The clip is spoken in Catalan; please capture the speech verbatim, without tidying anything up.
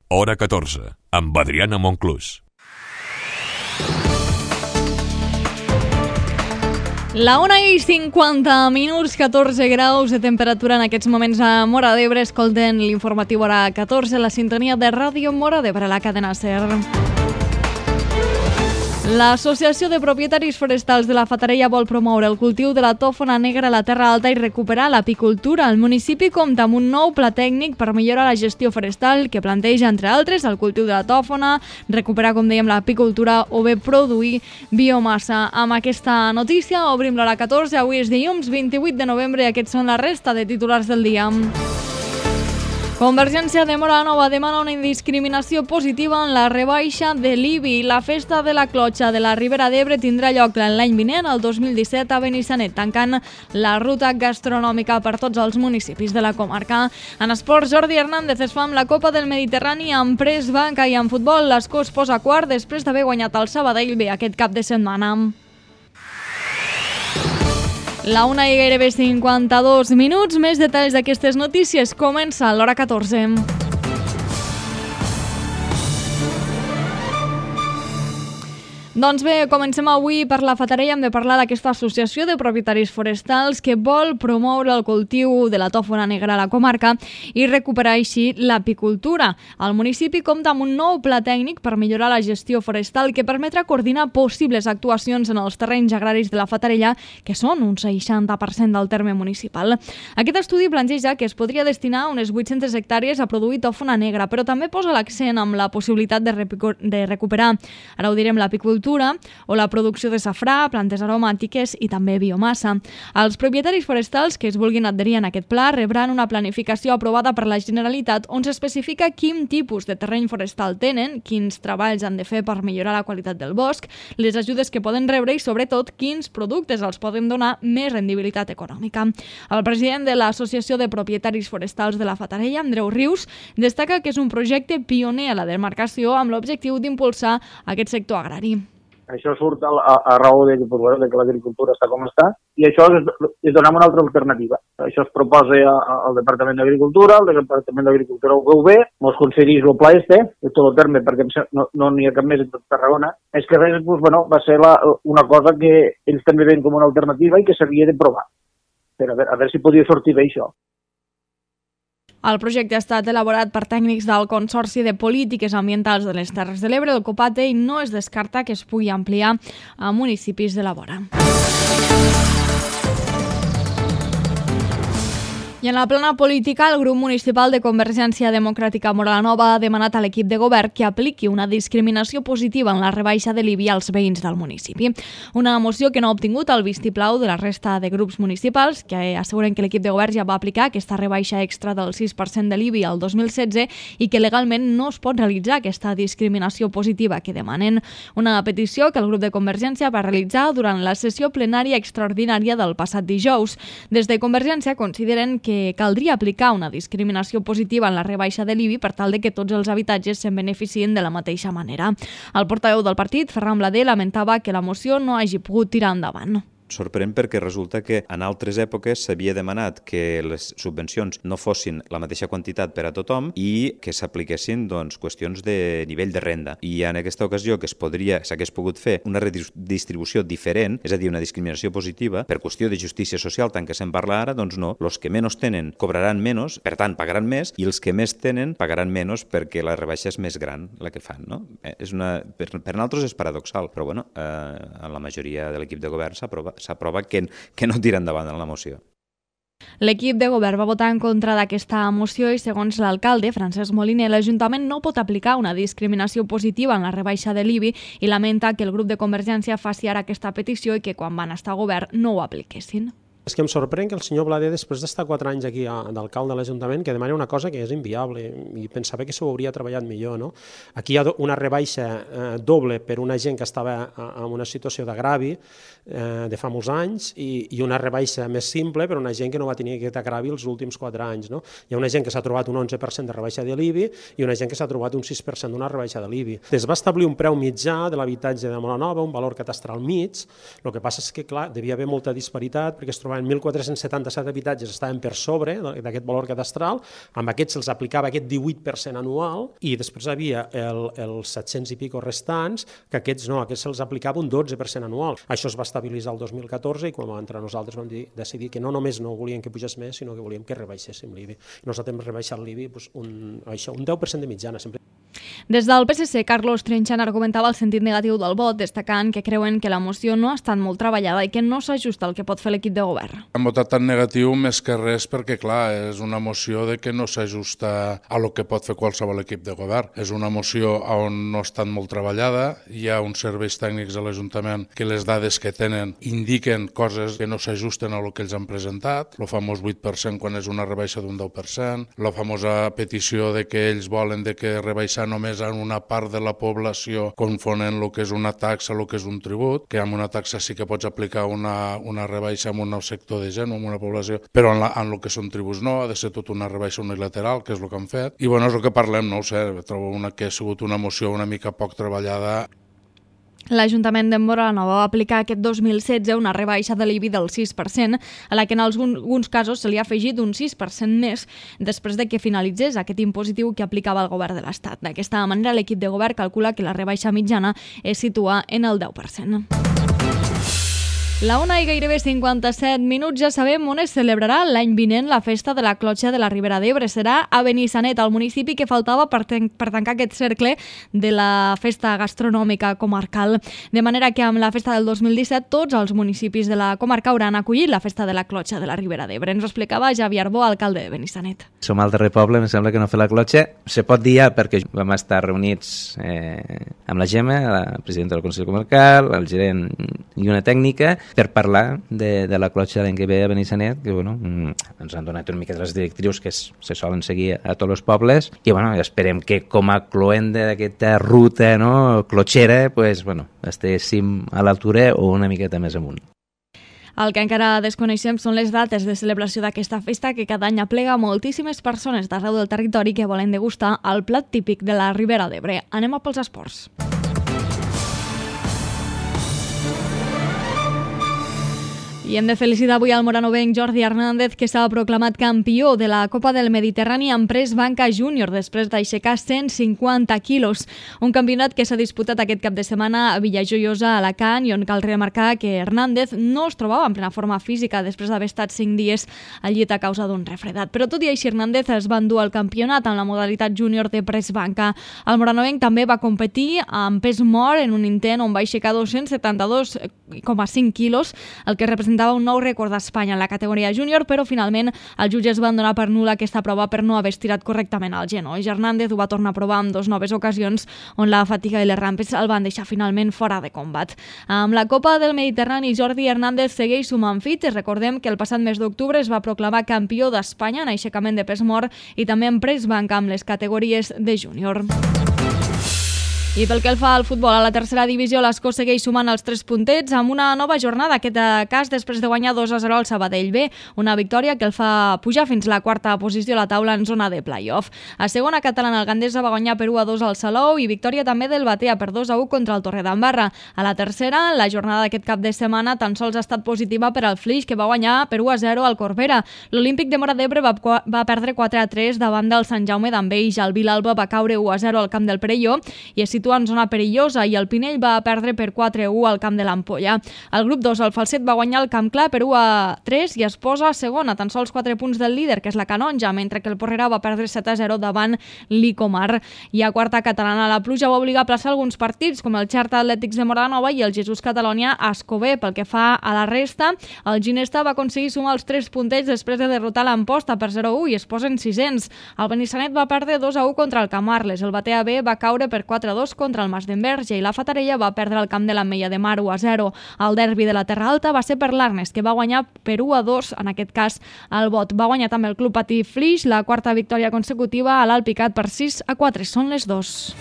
Hora catorze, amb Adriana Monclús. La una i cinquanta minuts, catorze graus de temperatura en aquests moments a Móra d'Ebre. Escolten l'informatiu Hora catorze, la sintonia de Ràdio Móra d'Ebre, la cadena SER. L'Associació de Propietaris Forestals de la Fatarella vol promoure el cultiu de la tòfona negra a la Terra Alta i recuperar l'apicultura. El municipi compta amb un nou pla tècnic per millorar la gestió forestal que planteja, entre altres, el cultiu de la tòfona, recuperar, com dèiem, l'apicultura o bé produir biomassa. Amb aquesta notícia obrim l'Hora catorze. Avui és dilluns vint-i-vuit de novembre i aquests són la resta de titulars del dia. Convergència de Móra la Nova demana una indiscriminació positiva en la rebaixa de l'I B I. La festa de la clotxa de la Ribera d'Ebre tindrà lloc l'any vinent, el dos mil disset, a Benissanet, tancant la ruta gastronòmica per tots els municipis de la comarca. En esports, Jordi Hernández es fa amb la Copa del Mediterrani amb Press Banca i en futbol l'Escó es posa quart després d'haver guanyat el Sabadell bé aquest cap de setmana. La una i gairebé cinquanta-dos minuts, més detalls d'aquestes notícies. Comença l'Hora catorze. Doncs bé, comencem avui per la Fatarella. Hem de parlar d'aquesta associació de propietaris forestals que vol promoure el cultiu de la tòfona negra a la comarca i recuperar així l'apicultura. El municipi compta amb un nou pla tècnic per millorar la gestió forestal que permetrà coordinar possibles actuacions en els terrenys agraris de la Fatarella, que són un seixanta per cent del terme municipal. Aquest estudi planteja que es podria destinar unes vuit-centes hectàrees a produir tòfona negra, però també posa l'accent amb la possibilitat de, de recuperar, ara ho direm, l'apicultura o la producció de safrà, plantes aromàtiques i també biomassa. Els propietaris forestals que es vulguin adherir en aquest pla rebran una planificació aprovada per la Generalitat on s'especifica quin tipus de terreny forestal tenen, quins treballs han de fer per millorar la qualitat del bosc, les ajudes que poden rebre i, sobretot, quins productes els poden donar més rendibilitat econòmica. El president de l'Associació de Propietaris Forestals de la Fatarella, Andreu Rius, destaca que és un projecte pioner a la demarcació amb l'objectiu d'impulsar aquest sector agrari. Això surt a, a, a raó de, pues, bueno, de que l'agricultura està com està i això és, és donar una altra alternativa. Això es proposa a, a, al Departament d'Agricultura, el Departament d'Agricultura ho veu bé, mos concedís el pla este, de tot el terme, perquè no n'hi no ha cap més en tot Tarragona. És que res, pues, bueno, va ser la, una cosa que ells també ven com una alternativa i que s'havia de provar, per a veure, a veure si podia sortir bé això. El projecte ha estat elaborat per tècnics del Consorci de Polítiques Ambientals de les Terres de l'Ebre, el COPATE, i no es descarta que es pugui ampliar a municipis de la vora. I en la plana política, el grup municipal de Convergència Democràtica Móra la Nova ha demanat a l'equip de govern que apliqui una discriminació positiva en la rebaixa de l'I B I als veïns del municipi. Una moció que no ha obtingut el vistiplau de la resta de grups municipals, que asseguren que l'equip de govern ja va aplicar aquesta rebaixa extra del sis per cent de l'I B I al dos mil setze i que legalment no es pot realitzar aquesta discriminació positiva que demanen. Una petició que el grup de Convergència va realitzar durant la sessió plenària extraordinària del passat dijous. Des de Convergència consideren que caldria aplicar una discriminació positiva en la rebaixa de l'I B I per tal de que tots els habitatges se'n beneficien de la mateixa manera. El portaveu del partit, Ferran Blader, lamentava que la moció no hagi pogut tirar endavant. Sorprèn perquè resulta que en altres èpoques s'havia demanat que les subvencions no fossin la mateixa quantitat per a tothom i que s'apliquessin doncs, qüestions de nivell de renda. I en aquesta ocasió que es podria, s'hagués pogut fer una redistribució diferent, és a dir, una discriminació positiva, per qüestió de justícia social, tant que se'n parla ara, doncs no. Els que menys tenen cobraran menys, per tant pagaran més, i els que més tenen pagaran menys perquè la rebaixa és més gran la que fan. No? Eh, és una, per, per nosaltres és paradoxal, però bueno, eh, en la majoria de l'equip de govern s'aprova s'aprova que, que no tira endavant en la moció. L'equip de govern va votar en contra d'aquesta moció i, segons l'alcalde, Francesc Moliner, l'Ajuntament no pot aplicar una discriminació positiva en la rebaixa de l'I B I i lamenta que el grup de Convergència faci ara aquesta petició i que quan van estar a govern no ho apliquessin. És que em sorprèn que el senyor Blader, després d'estar quatre anys aquí d'alcalde de l'Ajuntament, que demani una cosa que és inviable i pensava que s'ho hauria treballat millor. No? Aquí hi ha una rebaixa eh, doble per una gent que estava en una situació d'agravi eh, de fa molts anys i, i una rebaixa més simple per una gent que no va tenir aquest agravi els últims quatre anys. No? Hi ha una gent que s'ha trobat un onze per cent de rebaixa de l'I B I i una gent que s'ha trobat un sis per cent d'una rebaixa de l'I B I. Es va establir un preu mitjà de l'habitatge de Móra Nova, un valor catastral mig. El que passa és que, clar, devia haver molta disparitat perquè es trobaven estaven mil quatre-cents setanta-set habitatges estaven per sobre d'aquest valor cadastral, amb aquests se'ls aplicava aquest divuit per cent anual i després hi havia el, els set-cents i pico restants, que aquests no, aquests se'ls aplicava un dotze per cent anual. Això es va estabilitzar el dos mil catorze i quan vam entrar nosaltres vam dir, decidir que no només no volíem que pugés més, sinó que volíem que rebaixéssim l'I B I. Nosaltres hem rebaixat l'I B I doncs, un, això, un deu per cent de mitjana sempre. Des del P S C, Carlos Trenchan argumentava el sentit negatiu del vot, destacant que creuen que la moció no ha estat molt treballada i que no s'ajusta al que pot fer l'equip de govern. Hem votat tan negatiu més que res perquè, clar, és una moció de que no s'ajusta a lo que pot fer qualsevol equip de govern. És una moció on no ha estat molt treballada, hi ha uns serveis tècnics a l'Ajuntament que les dades que tenen indiquen coses que no s'ajusten a lo que ells han presentat, el famós vuit per cent quan és una rebaixa d'un deu per cent, la famosa petició de que ells volen de que rebaixar només en una part de la població confonen el que és una taxa el que és un tribut, que amb una taxa sí que pots aplicar una, una rebaixa en un sector de gent o en una població, però en, la, en el que són tributs no, ha de ser tot una rebaixa unilateral, que és el que han fet. I bueno, és el que parlem, no ho sé, trobo una, que ha sigut una moció una mica poc treballada. L'Ajuntament de Móra la Nova va aplicar aquest dos mil setze una rebaixa de l'I B I del sis per cent, a la que en alguns casos se li ha afegit un sis per cent més després de que finalitzés aquest impositiu que aplicava el govern de l'Estat. D'aquesta manera, l'equip de govern calcula que la rebaixa mitjana es situa en el deu per cent. La una i gairebé cinquanta-set minuts, ja sabem on es celebrarà l'any vinent la festa de la Clotxa de la Ribera d'Ebre. Serà a Benissanet, el municipi que faltava per, ten per tancar aquest cercle de la festa gastronòmica comarcal. De manera que amb la festa del dos mil disset tots els municipis de la comarca hauran acollit la festa de la Clotxa de la Ribera d'Ebre. Ens ho explicava Javi Arbó, alcalde de Benissanet. Som al darrer poble, em sembla que no fer la Clotxa. Se pot dir ja perquè vam estar reunits eh, amb la Gemma, la presidenta del Consell Comarcal, el gerent i una tècnica, per parlar de, de la Clotxa l'any que ve a Benissanet, que bueno, ens han donat una mica de les directrius que es, se solen seguir a tots els pobles, i bueno, esperem que com a cloenda d'aquesta ruta no, clotxera, pues, bueno, estiguéssim a l'altura o una miqueta més amunt. El que encara desconeixem són les dates de celebració d'aquesta festa que cada any aplega moltíssimes persones d'arreu del territori que volen degustar el plat típic de la Ribera d'Ebre. Anem a pels esports. I hem de felicitar avui al moranovenc Jordi Hernández, que s'ha proclamat campió de la Copa del Mediterrani en Press Banca Júnior després d'aixecar cent cinquanta quilos. Un campionat que s'ha disputat aquest cap de setmana a Villajoiosa, a Alacant, i on cal remarcar que Hernández no es trobava en plena forma física després d'haver estat cinc dies al llit a causa d'un refredat. Però tot i així, Hernández es va endur el campionat en la modalitat júnior de Press Banca. El moranovenc també va competir amb pes mort en un intent on va aixecar dos-cents setanta-dos coma cinc quilos, el que representa un nou rècord d'Espanya en la categoria júnior, però finalment els jutges van donar per nul·la aquesta prova per no haver estirat correctament el genoll. Hernández ho va tornar a provar en dues noves ocasions on la fatiga i les rampes el van deixar finalment fora de combat. Amb la Copa del Mediterrani, Jordi Hernández segueix sumant fits. Recordem que el passat mes d'octubre es va proclamar campió d'Espanya en aixecament de pes mort i també en press banca amb les categories de júnior. I pel que el fa al futbol, a la tercera divisió, l'Escó segueix sumant els tres puntets amb una nova jornada, aquest cas després de guanyar dos a zero al Sabadell B, una victòria que el fa pujar fins la quarta posició a la taula en zona de play-off. A segona catalana, el Gandesa va guanyar per u a dos al Salou i victòria també del Batea per dos a u contra el Torredembarra. A la tercera, la jornada d'aquest cap de setmana tan sols ha estat positiva per al Flix, que va guanyar per u a zero al Corbera. L'Olímpic de Móra d'Ebre va, va perdre quatre a tres davant del Sant Jaume d'Enveja. El Vilalba va caure u a zero al camp del Perelló i es situa en zona perillosa, i el Pinell va perdre per quatre a u al camp de l'Ampolla. El grup dos, el Falset, va guanyar el Camp Clar per u a tres i es posa segon a tan sols quatre punts del líder, que és la Canonja, mentre que el Porrera va perdre set a zero davant l'Icomar. I a quarta catalana, la pluja va obligar a plaçar alguns partits, com el Xerta Atlètics de Móra la Nova i el Jesús Catalònia a Escober. Pel que fa a la resta, el Ginesta va aconseguir sumar els tres puntets després de derrotar l'Amposta per zero a u i es posen sisens. El Benissanet va perdre dos a u contra el Camarles. El Batea B va caure per quatre a dos contra el Mas d'Enverge i la Fatarella va perdre el camp de l'Ametlla de Mar u a zero. El derbi de la Terra Alta va ser per l'Arnes, que va guanyar per u a dos, en aquest cas el Bot. Va guanyar també el Club Patí Flix, la quarta victòria consecutiva a l'Alpicat per sis a quatre. Són les dos.